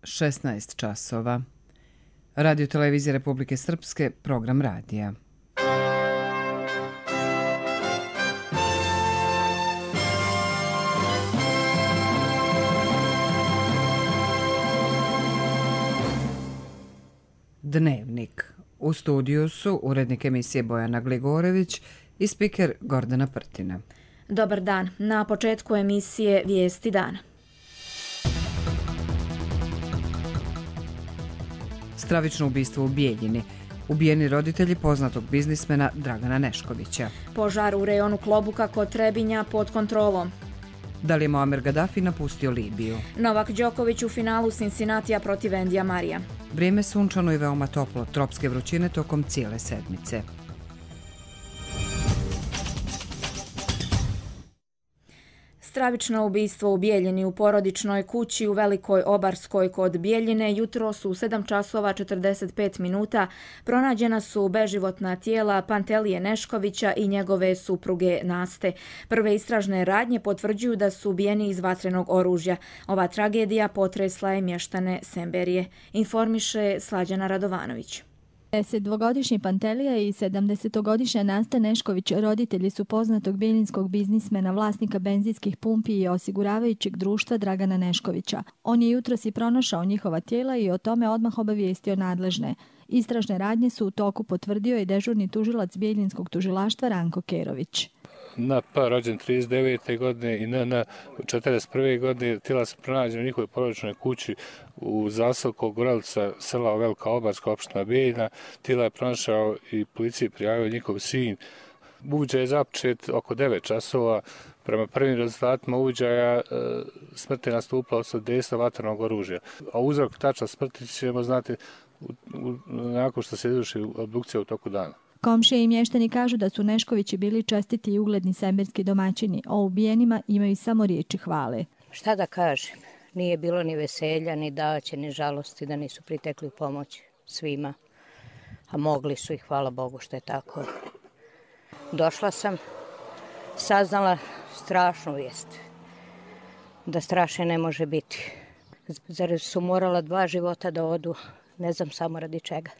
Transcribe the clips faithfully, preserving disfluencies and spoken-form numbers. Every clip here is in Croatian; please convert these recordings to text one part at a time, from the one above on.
šesnaest časova. Radio Televizija Republike Srpske, program radija. Dnevnik. U studiju su urednik emisije Bojana Gligorević i spiker Gordana Prtina. Dobar dan. Na početku emisije Vijesti dana. Stravično ubistvo u Bijeljini. Ubijeni roditelji poznatog biznismena Dragana Neškovića. Požar u rejonu Klobuka kod Trebinja pod kontrolom. Da li je Muamer Gaddafi napustio Libiju? Novak Đoković u finalu Cincinnatija protiv Endija Marija. Vrijeme sunčano i veoma toplo, tropske vrućine tokom cijele sedmice. Stravično ubistvo u Bijeljini u porodičnoj kući u Velikoj Obarskoj kod Bijeljine jutros u sedam časova četrdeset pet minuta pronađena su beživotna tijela Pantelije Neškovića i njegove supruge Naste. Prve istražne radnje potvrđuju da su ubijeni iz vatrenog oružja. Ova tragedija potresla je mještane Semberije, informiše Slađana Radovanović. desetdvogodišnji Pantelija i sedamdesetogodišnja Nasta Nešković roditelji su poznatog bijeljinskog biznismena, vlasnika benzinskih pumpi i osiguravajućeg društva Dragana Neškovića. On je jutros i pronašao njihova tijela i o tome odmah obavijestio nadležne. Istražne radnje su u toku, potvrdio i dežurni tužilac bijeljinskog tužilaštva Ranko Kerović. N P rođen trideset devete godine i N N četrdeset prve godine. Tijela su pronađena u njihovoj porodičnoj kući u zaselku Gorelica, sela Velika Obarska, opština Bijeljina. Tijela je pronašao i policiji prijavio njihov sin. Uviđaj je započet oko devet časova. Prema prvim rezultatima uviđaja smrt je nastupila od dejstva vatrenog oružja. A uzrok tačna smrti ćemo znati nakon što se izvrši obdukcija u toku dana. Komšije i mještani kažu da su Neškovići bili čestiti i ugledni semberski domaćini. O ubijenima imaju samo riječi hvale. Šta da kažem, nije bilo ni veselja, ni daće, ni žalosti da nisu pritekli u pomoć svima. A mogli su i hvala Bogu što je tako. Došla sam, saznala strašnu vijest. Da strašne ne može biti. Zar su morala dva života da odu, ne znam samo radi čega.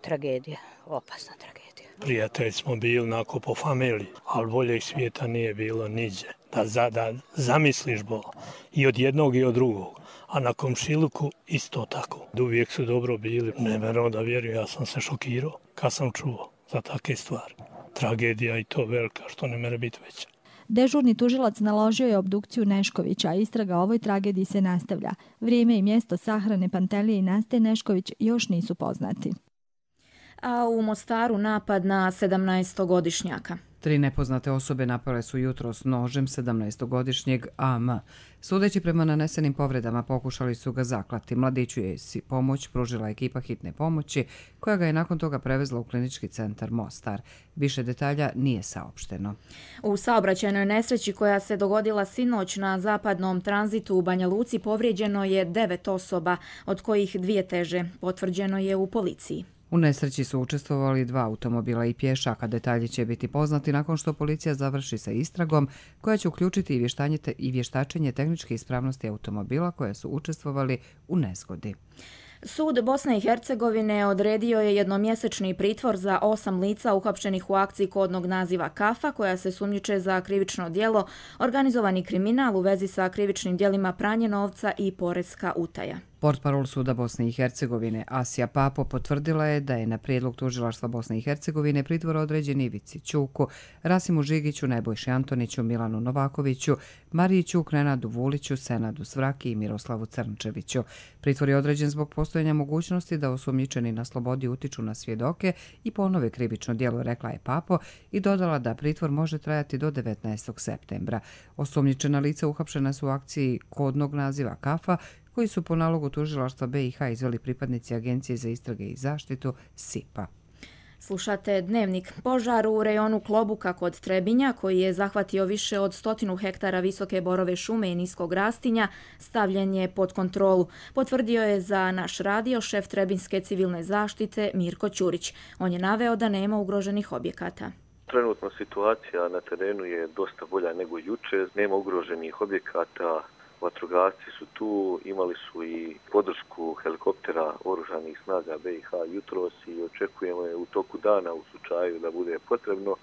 Tragedija, opasna tragedija. Prijatelji smo bili onako po familiji, ali boljeg svijeta nije bilo niđe. Da, za, da zamisliš Boga i od jednog i od drugog, a na komšiluku isto tako. Uvijek su dobro bili, ne meram da vjerujem, ja sam se šokirao kad sam čuo za takve stvari. Tragedija i to velika, što ne mere biti veća. Dežurni tužilac naložio je obdukciju Neškovića, a istraga o ovoj tragediji se nastavlja. Vrijeme i mjesto sahrane Pantelije i Naste Nešković još nisu poznati. A u Mostaru napad na sedamnaestogodišnjaka. Tri nepoznate osobe napale su jutros nožem sedamnaestogodišnjeg A M. Sudeći prema nanesenim povredama, pokušali su ga zaklati. Mladiću je si pomoć pružila ekipa hitne pomoći, koja ga je nakon toga prevezla u klinički centar Mostar. Više detalja nije saopšteno. U saobraćajnoj nesreći koja se dogodila sinoć na zapadnom tranzitu u Banja Luci povrijeđeno je devet osoba, od kojih dvije teže, potvrđeno je u policiji. U nesreći su učestvovali dva automobila i pješaka. Detalji će biti poznati nakon što policija završi sa istragom, koja će uključiti i, i vještačenje tehničke ispravnosti automobila koje su učestvovali u nezgodi. Sud Bosne i Hercegovine odredio je jednomjesečni pritvor za osam lica uhapšenih u akciji kodnog naziva Kafa, koja se sumnjiče za krivično djelo, organizovani kriminal u vezi sa krivičnim djelima pranje novca i poreska utaja. Portparol Suda Bosne i Hercegovine Asija Papo potvrdila je da je na prijedlog tužilaštva Bosne i Hercegovine pritvor određen Ivici Ćuku, Rasimu Žigiću, Nebojši Antoniću, Milanu Novakoviću, Mariji Ćuk, Nenadu Vuliću, Senadu Svraki i Miroslavu Crnčeviću. Pritvor je određen zbog postojanja mogućnosti da osumnjičeni na slobodi utiču na svjedoke i ponove krivično djelo, rekla je Papo i dodala da pritvor može trajati do devetnaestog septembra. Osumnjičena lica uhapšena su u akciji kodnog naziva Kafa, koji su po nalogu tužilaštva B i H izveli pripadnici Agencije za istrage i zaštitu S I P A. Slušate Dnevnik. Požar u rejonu Klobuka kod Trebinja, koji je zahvatio više od stotinu hektara visoke borove šume i niskog rastinja, stavljen je pod kontrolu. Potvrdio je za naš radio šef Trebinjske civilne zaštite Mirko Ćurić. On je naveo da nema ugroženih objekata. Trenutno situacija na terenu je dosta bolja nego juče. Nema ugroženih objekata, vatrogasci su tu, imali su i podršku helikoptera oružanih snaga B i H jutros i očekujemo je u toku dana u slučaju da bude potrebno.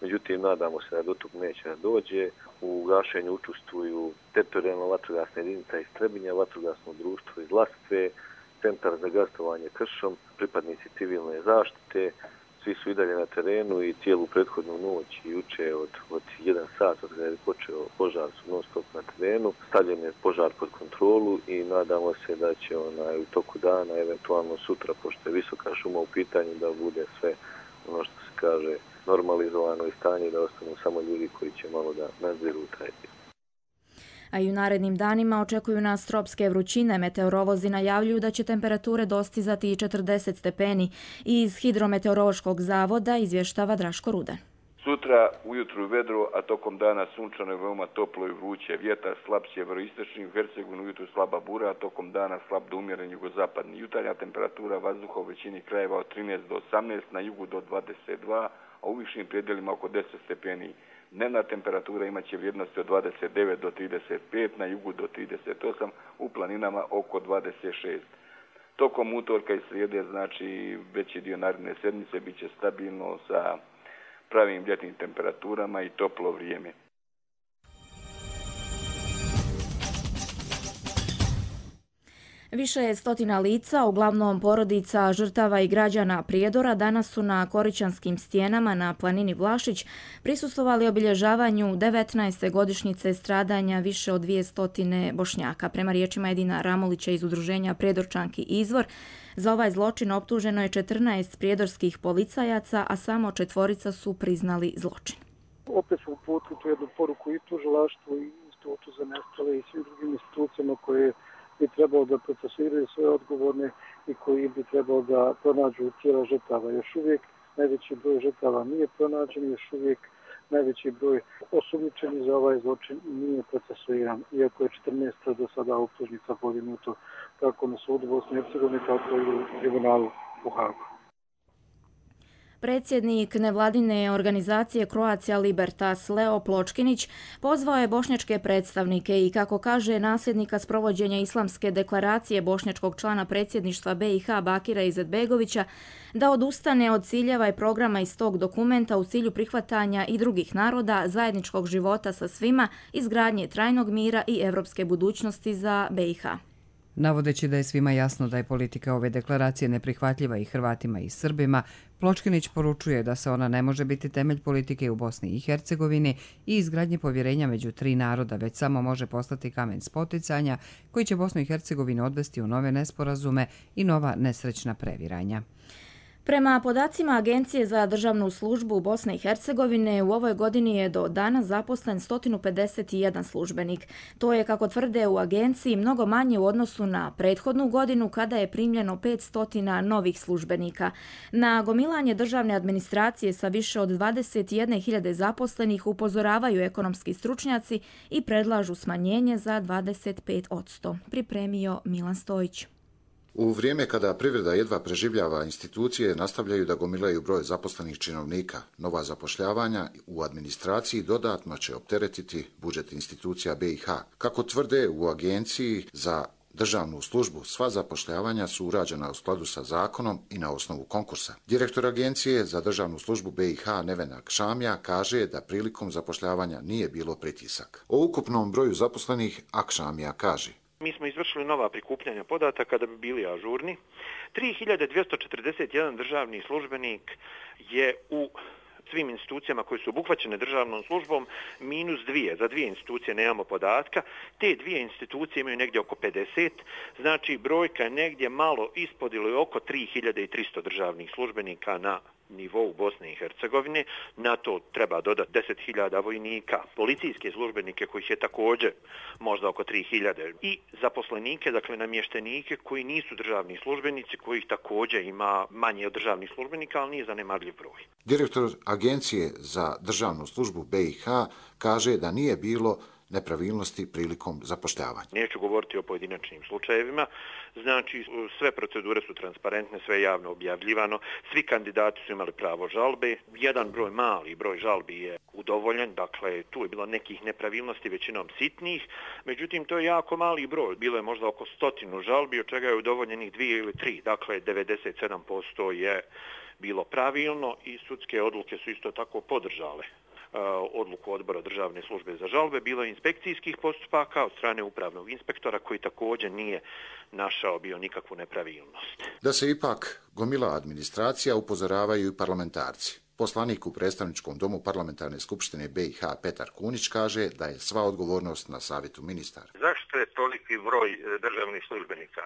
Međutim, nadamo se da do tog neće da dođe. U gašenju učestvuju teritorijalna vatrogasna jedinica iz Trebinja, vatrogasno društvo iz Lastve, centar za gasovanje Kršom, pripadnici civilne zaštite. Svi su i dalje na terenu i cijelu prethodnu noć i juče od, od jedan sat od kada je počeo požar su non stop na terenu. Stavljen je požar pod kontrolu i nadamo se da će onaj, u toku dana, eventualno sutra, pošto je visoka šuma u pitanju, da bude sve ono što se kaže normalizovano i stanje, da ostanu samo ljudi koji će malo da nadziru taj dio. A i u narednim danima očekuju nas tropske vrućine. Meteorolozi najavljuju da će temperature dostizati i četrdeset stepeni. Iz Hidrometeorološkog zavoda izvještava Draško Rudan. Sutra ujutru vedro, a tokom dana sunčano je veoma toplo i vruće. Vjetar slab sjeveroistočni, u Hercegovini ujutru slaba bura, a tokom dana slab do umjeren jugozapadni. Jutarnja temperatura vazduha u većini krajeva od trinaest do osamnaest, na jugu do dvadeset dva, a u višim predjelima oko deset stepeni. Dnevna temperatura imaće vrijednosti od dvadeset devet do trideset pet, na jugu do trideset osam, u planinama oko dvadeset šest. Tokom utorka i srijede, znači veći dio naredne sedmice, bit će stabilno sa pravim ljetnim temperaturama i toplo vrijeme. Više je stotina lica, uglavnom porodica, žrtava i građana Prijedora, danas su na Koričanskim stijenama na planini Vlašić prisustvovali obilježavanju devetnaeste godišnjice stradanja više od dvjesto Bošnjaka. Prema riječima Edina Ramulića iz udruženja Prijedorčanki Izvor, za ovaj zločin optuženo je četrnaest prijedorskih policajaca, a samo četvorica su priznali zločin. Opet smo uputili tu jednu poruku i tužilaštvu i Institutu za nestale i svim drugim institucijama koje bi trebalo da procesuiraju sve odgovorne i koji bi trebalo da pronađu tijela žrtava. Još uvijek najveći broj žrtava nije pronađen, još uvijek najveći broj osumnjičenih za ovaj zločin nije procesuiran, iako je četrnaest do sada optužnica podignuto kako na sudu Bosne i Hercegovine, tako i u tribunalu u Hagu. Predsjednik nevladine organizacije Croatia Libertas Leo Pločkinić pozvao je bošnjačke predstavnike i, kako kaže, nasljednika sprovođenja islamske deklaracije bošnjačkog člana predsjedništva B i H Bakira Izetbegovića da odustane od ciljeva i programa iz tog dokumenta u cilju prihvatanja i drugih naroda, zajedničkog života sa svima, izgradnje trajnog mira i evropske budućnosti za B i H. Navodeći da je svima jasno da je politika ove deklaracije neprihvatljiva i Hrvatima i Srbima, Pločkinić poručuje da se ona ne može biti temelj politike u Bosni i Hercegovini i izgradnje povjerenja među tri naroda, već samo može postati kamen spoticanja koji će Bosnu i Hercegovinu odvesti u nove nesporazume i nova nesrećna previranja. Prema podacima Agencije za državnu službu Bosne i Hercegovine, u ovoj godini je do danas zaposlen sto pedeset jedan službenik. To je, kako tvrde u agenciji, mnogo manje u odnosu na prethodnu godinu kada je primljeno petsto novih službenika. Na gomilanje državne administracije sa više od dvadeset jedne hiljade zaposlenih upozoravaju ekonomski stručnjaci i predlažu smanjenje za dvadeset pet posto. Pripremio Milan Stojić. U vrijeme kada privreda jedva preživljava, institucije nastavljaju da gomilaju broj zaposlenih činovnika. Nova zapošljavanja u administraciji dodatno će opteretiti budžet institucija B i H. Kako tvrde u Agenciji za državnu službu, sva zapošljavanja su urađena u skladu sa zakonom i na osnovu konkursa. Direktor Agencije za državnu službu B i H Nevena Akšamija kaže da prilikom zapošljavanja nije bilo pritisak. O ukupnom broju zaposlenih Akšamija kaže: Mi smo izvršili nova prikupljanja podataka da bi bili ažurni. tri hiljade dvjesto četrdeset jedan državni službenik je u svim institucijama koje su obuhvaćene državnom službom minus dvije. Za dvije institucije nemamo podatka. Te dvije institucije imaju negdje oko pedeset. Znači brojka je negdje malo ispod ili oko tri hiljade tristo državnih službenika na nivou Bosne i Hercegovine. Na to treba dodati deset hiljada vojnika, policijske službenike kojih je također možda oko tri hiljade i zaposlenike, dakle namještenike koji nisu državni službenici, kojih također ima manje od državnih službenika, ali nije zanemarljiv broj. Direktor Agencije za državnu službu B i H kaže da nije bilo nepravilnosti prilikom zapošljavanja. Neću govoriti o pojedinačnim slučajevima, znači sve procedure su transparentne, sve je javno objavljivano, svi kandidati su imali pravo žalbe, jedan broj, mali broj žalbi je udovoljen, dakle tu je bilo nekih nepravilnosti, većinom sitnih, međutim to je jako mali broj, bilo je možda oko stotinu žalbi, od čega je udovoljenih dvije ili tri, dakle devedeset sedam posto je bilo pravilno i sudske odluke su isto tako podržale odluku odbora državne službe za žalbe. Bilo je inspekcijskih postupaka od strane upravnog inspektora koji također nije našao bio nikakvu nepravilnost. Da se ipak gomila administracija, upozoravaju i parlamentarci. Poslanik u predstavničkom domu parlamentarne skupštine B i H Petar Kunić kaže da je sva odgovornost na savjetu ministara. Zašto je toliki broj državnih službenika?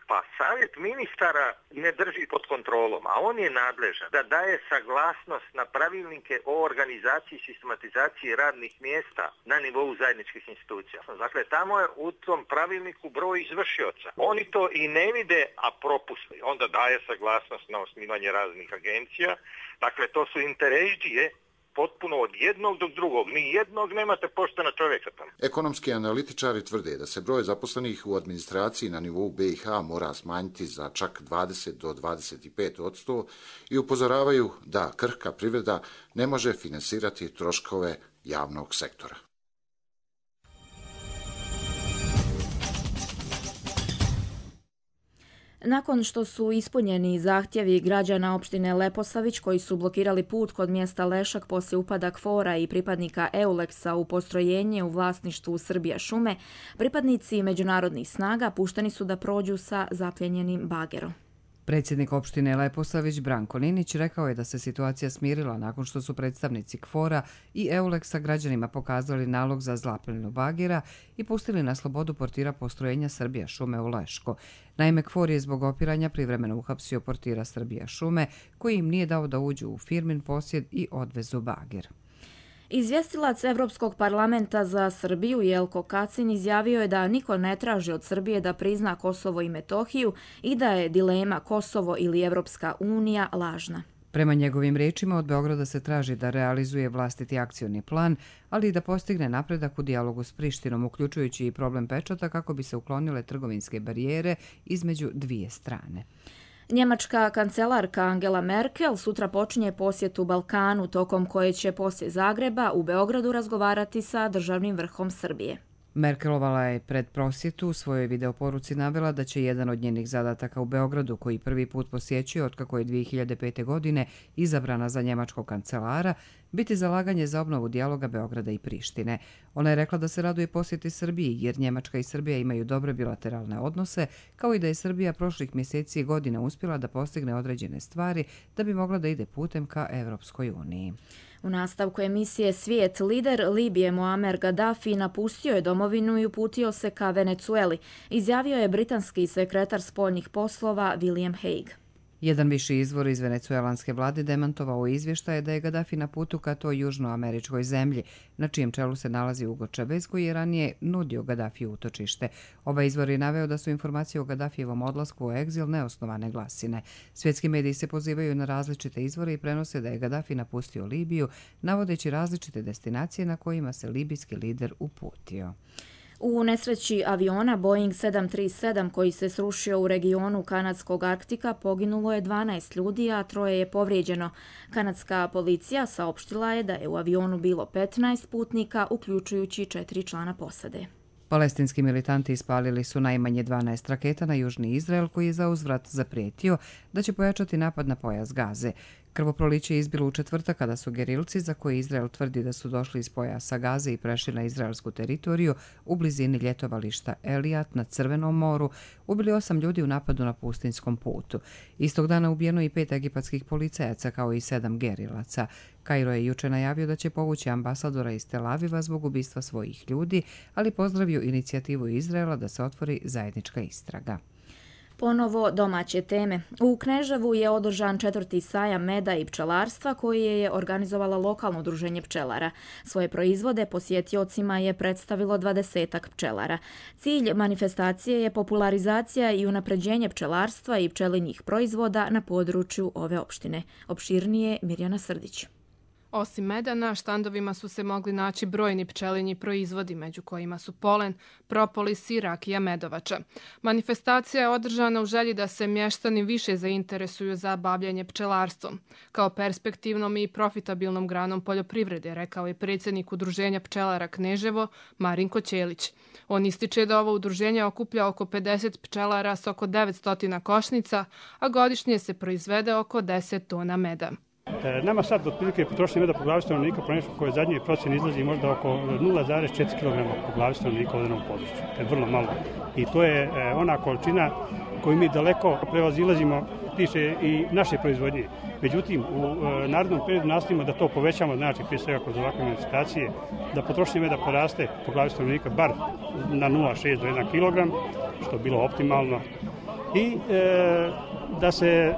Pa savjet ministara ne drži pod kontrolom, a on je nadležan da daje saglasnost na pravilnike o organizaciji i sistematizaciji radnih mjesta na nivou zajedničkih institucija. Dakle, tamo je u tom pravilniku broj izvršioca. Oni to i ne vide, a propuste. Onda daje saglasnost na osnivanje raznih agencija. Dakle, to su interrežije potpuno od jednog do drugog. Ni jednog nemate poštena čovjeka tamo. Ekonomski analitičari tvrde da se broj zaposlenih u administraciji na nivou B i H mora smanjiti za čak dvadeset do dvadeset pet posto i upozoravaju da krhka privreda ne može finansirati troškove javnog sektora. Nakon što su ispunjeni zahtjevi građana opštine Leposavić koji su blokirali put kod mjesta Lešak poslije upada KFOR-a i pripadnika Euleksa u postrojenje u vlasništvu Srbija šume, pripadnici međunarodnih snaga pušteni su da prođu sa zapljenjenim bagerom. Predsjednik opštine Leposavić Branko Ninić rekao je da se situacija smirila nakon što su predstavnici KFOR-a i Euleksa građanima pokazali nalog za zapljenju bagera i pustili na slobodu portira postrojenja Srbija šume u Leško. Naime, KFOR je zbog opiranja privremeno uhapsio portira Srbija šume koji im nije dao da uđu u firmin posjed i odvezu bager. Izvjestilac Evropskog parlamenta za Srbiju Jelko Kacin izjavio je da niko ne traži od Srbije da prizna Kosovo i Metohiju i da je dilema Kosovo ili Evropska unija lažna. Prema njegovim rečima, od Beograda se traži da realizuje vlastiti akcioni plan, ali i da postigne napredak u dijalogu s Prištinom, uključujući i problem pečata kako bi se uklonile trgovinske barijere između dvije strane. Njemačka kancelarka Angela Merkel sutra počinje posjetu Balkanu, tokom koje će poslije Zagreba u Beogradu razgovarati sa državnim vrhom Srbije. Merkelova je pred prosjetu u svojoj videoporuci navela da će jedan od njenih zadataka u Beogradu, koji prvi put posjećuje otkako je dvije hiljade pete. godine izabrana za njemačkog kancelara, biti zalaganje za obnovu dijaloga Beograda i Prištine. Ona je rekla da se raduje posjeti Srbiji, jer Njemačka i Srbija imaju dobre bilateralne odnose, kao i da je Srbija prošlih mjeseci i godina uspjela da postigne određene stvari da bi mogla da ide putem ka Evropskoj uniji. U nastavku emisije Svijet lider Libije Muamer Gaddafi napustio je domovinu i uputio se ka Venecueli, izjavio je britanski sekretar spoljnih poslova William Hague. Jedan viši izvor iz venecuelanske vlade demantovao izvještaje da je Gaddafi na putu ka toj južnoameričkoj zemlji, na čijem čelu se nalazi Hugo Chavez, koji je ranije nudio Gaddafiju utočište. Ovaj izvor je naveo da su informacije o Gaddafijevom odlasku u egzil neosnovane glasine. Svjetski mediji se pozivaju na različite izvore i prenose da je Gaddafi napustio Libiju, navodeći različite destinacije na kojima se libijski lider uputio. U nesreći aviona Boeing sedam tri sedam koji se srušio u regionu kanadskog Arktika poginulo je dvanaest ljudi, a troje je povrijeđeno. Kanadska policija saopštila je da je u avionu bilo petnaest putnika, uključujući četiri člana posade. Palestinski militanti ispalili su najmanje dvanaest raketa na južni Izrael, koji je za uzvrat zaprijetio da će pojačati napad na pojas Gaze. Krvoproliće je izbilo u četvrtak kada su gerilci, za koje Izrael tvrdi da su došli iz pojasa Gaze i prešli na izraelsku teritoriju u blizini ljetovališta Elijat na Crvenom moru, ubili osam ljudi u napadu na pustinskom putu. Istog dana ubijeno i pet egipatskih policajaca kao i sedam gerilaca. Kairo je juče najavio da će povući ambasadora iz Tel Aviva zbog ubistva svojih ljudi, ali pozdravio inicijativu Izraela da se otvori zajednička istraga. Ponovo domaće teme. U Kneževu je održan četvrti sajam meda i pčelarstva koji je organizovala lokalno udruženje pčelara. Svoje proizvode posjetiocima je predstavilo dvadesetak pčelara. Cilj manifestacije je popularizacija i unapređenje pčelarstva i pčelinjih proizvoda na području ove opštine. Opširnije Mirjana Srdić. Osim meda, na štandovima su se mogli naći brojni pčelinji proizvodi, među kojima su polen, propolis i rakija medovača. Manifestacija je održana u želji da se mještani više zainteresuju za bavljanje pčelarstvom. Kao perspektivnom i profitabilnom granom poljoprivrede, rekao je predsjednik Udruženja pčelara Kneževo, Marinko Ćelić. On ističe da ovo udruženje okuplja oko pedeset pčelara s oko devetsto košnica, a godišnje se proizvede oko deset tona meda. Nama sad otprilike potrošnje meda po glavi stanovnika po nešto koje zadnje procjene izlazi možda oko nula zarez četiri kilograma po glavi stanovnika u određenom području. To je vrlo malo. I to je ona količina koju mi daleko prevazilazimo tiče i naše proizvodnje. Međutim, u narednom periodu nastavimo da to povećamo, znači prije svega kroz ovakve manifestacije, da potrošnje meda poraste po glavi stanovnika bar na nula zarez šest do jedan kilogram, što bi bilo optimalno. I e, da se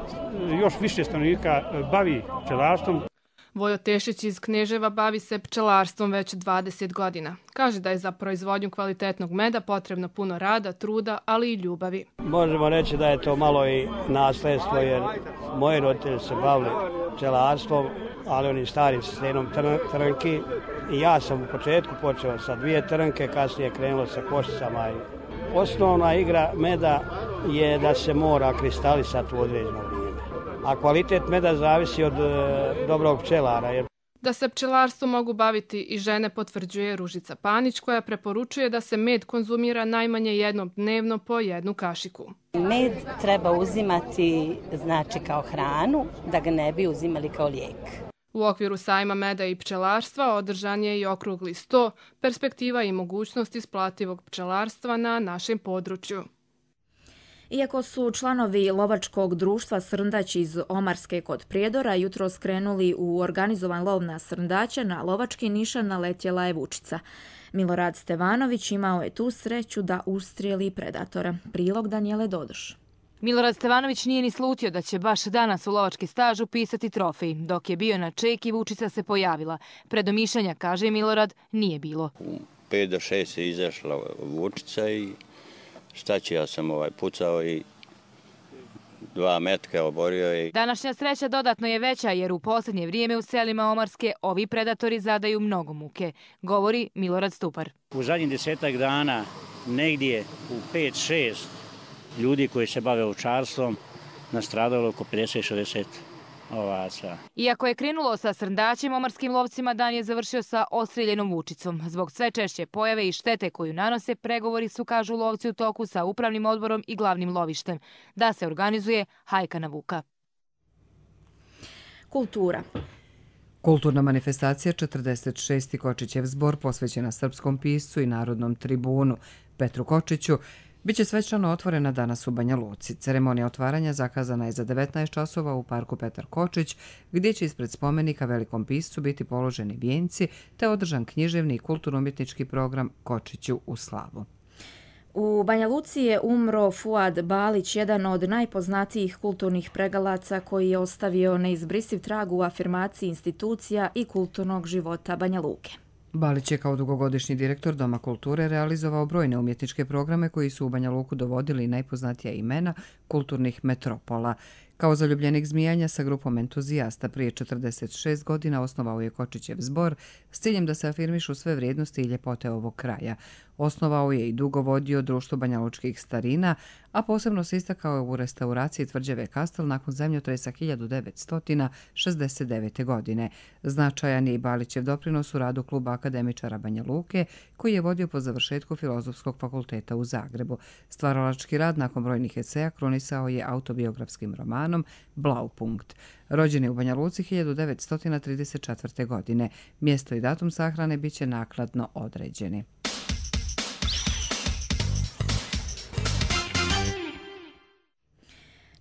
još više stanovnika bavi pčelarstvom. Vojo Tešić iz Kneževa bavi se pčelarstvom već dvadeset godina. Kaže da je za proizvodnju kvalitetnog meda potrebno puno rada, truda, ali i ljubavi. Možemo reći da je to malo i nasljedstvo, jer moji roditelji se bavili pčelarstvom, ali onim starim sistemom trnki. I ja sam u početku počeo sa dvije trnke, kasnije krenulo sa košicama. Osnovna igra meda je da se mora kristalisati u određeno vrijeme, a kvalitet meda zavisi od e, dobrog pčelara. Jer... Da se pčelarstvom mogu baviti i žene potvrđuje Ružica Panić, koja preporučuje da se med konzumira najmanje jednom dnevno po jednu kašiku. Med treba uzimati znači kao hranu, da ga ne bi uzimali kao lijek. U okviru sajma meda i pčelarstva održan je i okrugli sto, perspektiva i mogućnost isplativog pčelarstva na našem području. Iako su članovi lovačkog društva Srndać iz Omarske kod Prijedora jutros krenuli u organizovan lov na srndaće, na lovački nišan naletjela je vučica. Milorad Stevanović imao je tu sreću da ustrijeli predatora. Prilog Danijele Dodoš. Milorad Stevanović nije ni slutio da će baš danas u lovački staž upisati trofej. Dok je bio na čeki, vučica se pojavila. Predomišljanja, kaže Milorad, nije bilo. U pet do šest je izašla vučica i šta će, ja sam ovaj pucao i dva metka oborio. I... Današnja sreća dodatno je veća jer u posljednje vrijeme u selima Omarske ovi predatori zadaju mnogo muke, govori Milorad Stupar. U zadnjih desetak dana negdje u pet šest ljudi koji se bave ovčarstvom nastradalo oko pedeset šezdeset ovaca. Iako je krenulo sa srndaćem, omarskim lovcima dan je završio sa ostrijeljenom vučicom. Zbog sve češće pojave i štete koju nanose, pregovori su, kažu lovci, u toku sa upravnim odborom i glavnim lovištem, da se organizuje hajka na vuka. Kultura. Kulturna manifestacija četrdeset šesti Kočićev zbor posvećena srpskom piscu i narodnom tribunu Petru Kočiću biće svečano otvorena danas u Banja Luci. Ceremonija otvaranja zakazana je za devetnaest časova u parku Petar Kočić, gdje će ispred spomenika velikom piscu biti položeni vijenci te održan književni i kulturno-umjetnički program Kočiću u slavu. U Banja Luci je umro Fuad Balić, jedan od najpoznatijih kulturnih pregalaca koji je ostavio neizbrisiv trag u afirmaciji institucija i kulturnog života Banja Luke. Balić je kao dugogodišnji direktor Doma kulture realizovao brojne umjetničke programe koji su u Banja Luku dovodili najpoznatija imena kulturnih metropola. Kao zaljubljenik zmijanja sa grupom entuzijasta prije četrdeset šest godina osnovao je Kočićev zbor s ciljem da se afirmišu sve vrijednosti i ljepote ovog kraja. Osnovao je i dugo vodio društvo banjalučkih starina, a posebno se istakao u restauraciji tvrđave Kastel nakon zemljotresa hiljadu devetsto šezdeset devete. godine. Značajan je i Balićev doprinos u radu kluba akademičara Banja Luke, koji je vodio po završetku Filozofskog fakulteta u Zagrebu. Stvaralački rad nakon brojnih eseja krunisao je autobiografskim romanom Blaupunkt. Rođen je u Banja Luci hiljadu devetsto trideset četvrte. godine. Mjesto i datum sahrane biće naknadno određeni.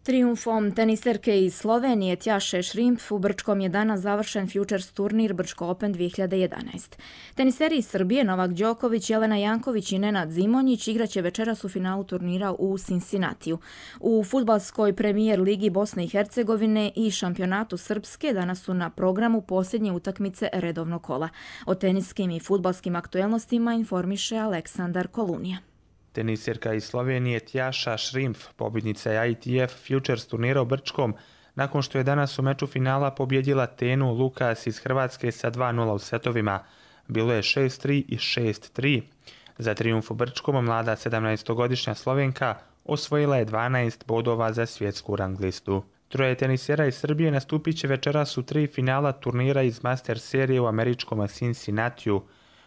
Trijumfom teniserke iz Slovenije Tjaše Šrimpf u Brčkom je danas završen Futures turnir Brčko Open dvije hiljade jedanaest. Teniseri iz Srbije Novak Đoković, Jelena Janković i Nenad Zimonjić igraće večeras u finalu turnira u Cincinnatiju. U fudbalskoj premijer ligi Bosne i Hercegovine i šampionatu Srpske danas su na programu posljednje utakmice redovnog kola. O teniskim i fudbalskim aktuelnostima informiše Aleksandar Kolunija. Teniserka iz Slovenije Tjaša Šrimpf, pobjednica je I T F Futures turnira u Brčkom, nakon što je danas u meču finala pobjedila Tenu Lukas iz Hrvatske sa dva nula u setovima. Bilo je šest tri i šest tri. Za trijumf u Brčkom mlada sedamnaestogodišnja Slovenka osvojila je dvanaest bodova za svjetsku rang listu. Troje tenisera iz Srbije nastupit će večeras u tri finala turnira iz Master serije u američkom Cincinnatiju.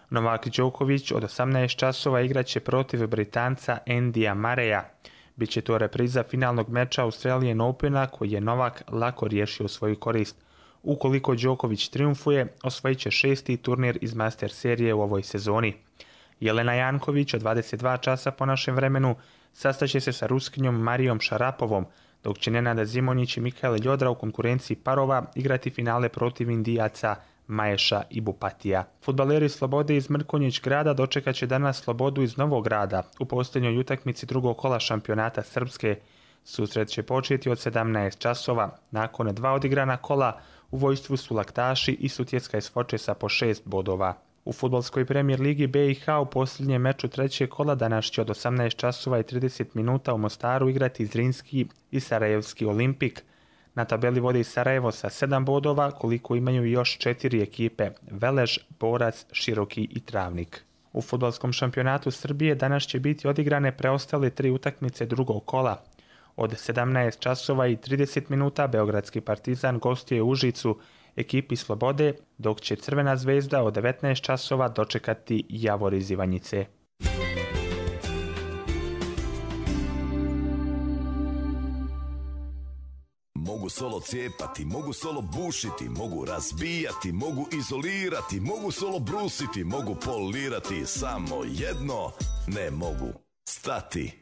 Novak Đoković od osamnaest časova igraće protiv Britanca Andyja Murraya. Biće to repriza finalnog meča Australian Opena koji je Novak lako riješio svoju korist. Ukoliko Đoković triumfuje, osvojit će šesti turnir iz Master serije u ovoj sezoni. Jelena Janković od dvadeset dva časa po našem vremenu sastaće se sa Ruskinjom Marijom Šarapovom, dok će Nenada Zimonjić i Mikael Ljodra u konkurenciji parova igrati finale protiv Indijaca Maješa i Bupatija. Fudbaleri Slobode iz Mrkonjić grada dočekat će danas Slobodu iz Novog grada u posljednjoj utakmici drugog kola šampionata Srpske. Susret će početi od sedamnaest časova. Nakon dva odigrana kola u vojstvu su Laktaši i Sutjeska iz Fočesa po šest bodova. U fudbalskoj premijer ligi B i H u posljednjem meču trećeg kola danas će od osamnaest časova i trideset minuta u Mostaru igrati Zrinski i Sarajevski Olimpik. Na tabeli vodi Sarajevo sa sedam bodova, koliko imaju još četiri ekipe: Velež, Borac, Široki i Travnik. U fudbalskom šampionatu Srbije danas će biti odigrane preostale tri utakmice drugog kola. Od sedamnaest časova i trideset minuta Beogradski Partizan gostuje Užicu ekipi Slobode, dok će Crvena zvezda od devetnaest časova dočekati Javor iz Ivanjice. Mogu solo cijepati, mogu solo bušiti, mogu razbijati, mogu izolirati, mogu solo brusiti, mogu polirati, samo jedno ne mogu stati.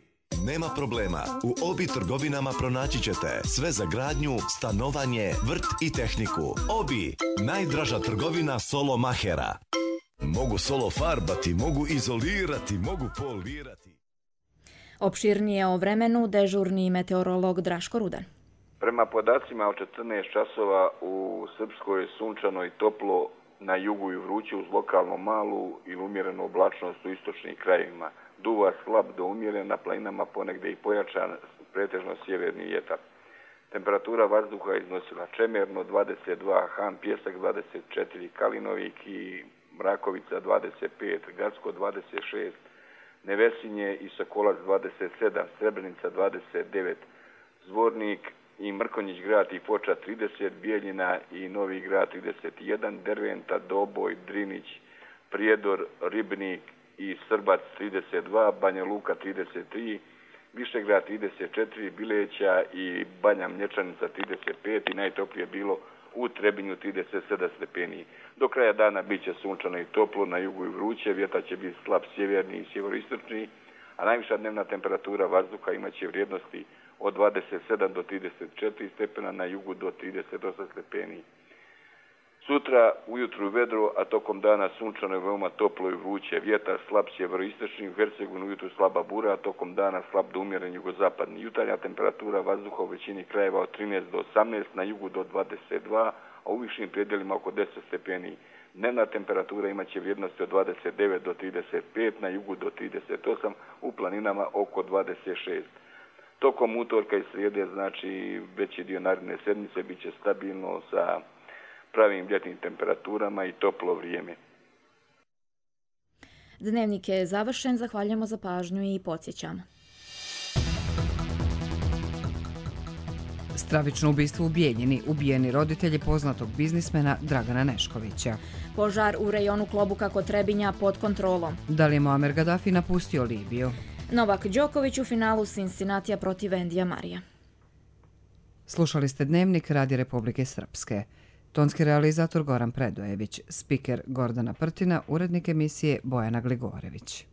Nema problema, u Obi trgovinama pronaći ćete sve za gradnju, stanovanje, vrt i tehniku. Obi, najdraža trgovina solo mahera. Mogu solo farbati, mogu izolirati, mogu polirati. Opširnije o vremenu dežurni meteorolog Draško Rudan. Prema podacima od četrnaest časova u Srpskoj sunčano i toplo, na jugu i vruće uz lokalno malu ili umjerenu oblačnost u istočnim krajevima. Duva slab do umjeren, na planinama ponegdje i pojačan, pretežno sjeverni vjetar. Temperatura vazduha iznosila Čemerno dvadeset dva, Han Pjesak dvadeset četiri, Kalinovik i Mrakovica dvadeset pet, Gacko dvadeset šest, Nevesinje i Sokolac dvadeset sedam, Srebrenica dvadeset devet, Zvornik i Mrkonjić grad i Foča trideset, Bijeljina i Novi grad trideset jedan, Derventa, Doboj, Drinić, Prijedor, Ribnik i Srbac trideset dva, Banja Luka trideset tri, Višegrad trideset četiri, Bileća i Banja Mlječanica trideset pet i najtoplije bilo u Trebinju trideset sedam stepeni. Do kraja dana bit će sunčano i toplo, na jugu i vruće, vjetar će biti slab sjeverni i sjeveroistočni, a najviša dnevna temperatura vazduha imaće vrijednosti od dvadeset sedam do trideset četiri stepena, na jugu do trideset osam stepeni. Sutra ujutru vedro, a tokom dana sunčano je veoma toplo i vruće. Vjetar slab sjeveroistočni, u Hercegovini ujutru slaba bura, a tokom dana slab do umjeren jugozapadni. Jutarnja temperatura vazduha u većini krajeva od trinaest do osamnaest, na jugu do dvadeset dva, a u višim predjelima oko deset stepeni. Dnevna temperatura imaće vrijednosti od dvadeset devet do trideset pet, na jugu do trideset osam, u planinama oko dvadeset šest. Tokom utorka i srijede, znači veći dio naredne sedmice, bit će stabilno sa pravim ljetnim temperaturama i toplo vrijeme. Dnevnik je završen, zahvaljujemo za pažnju i podsjećamo. Stravično ubistvo u Bijeljini, ubijeni roditelji poznatog biznismena Dragana Neškovića. Požar u rejonu Klobuka kod Trebinja pod kontrolom. Da li je Muamer Gaddafi napustio Libiju? Novak Đoković u finalu Cincinnatija protiv Andyja Murraya. Slušali ste Dnevnik Radi Republike Srpske. Tonski realizator Goran Predojević, spiker Gordana Prtina, urednik emisije Bojana Gligorević.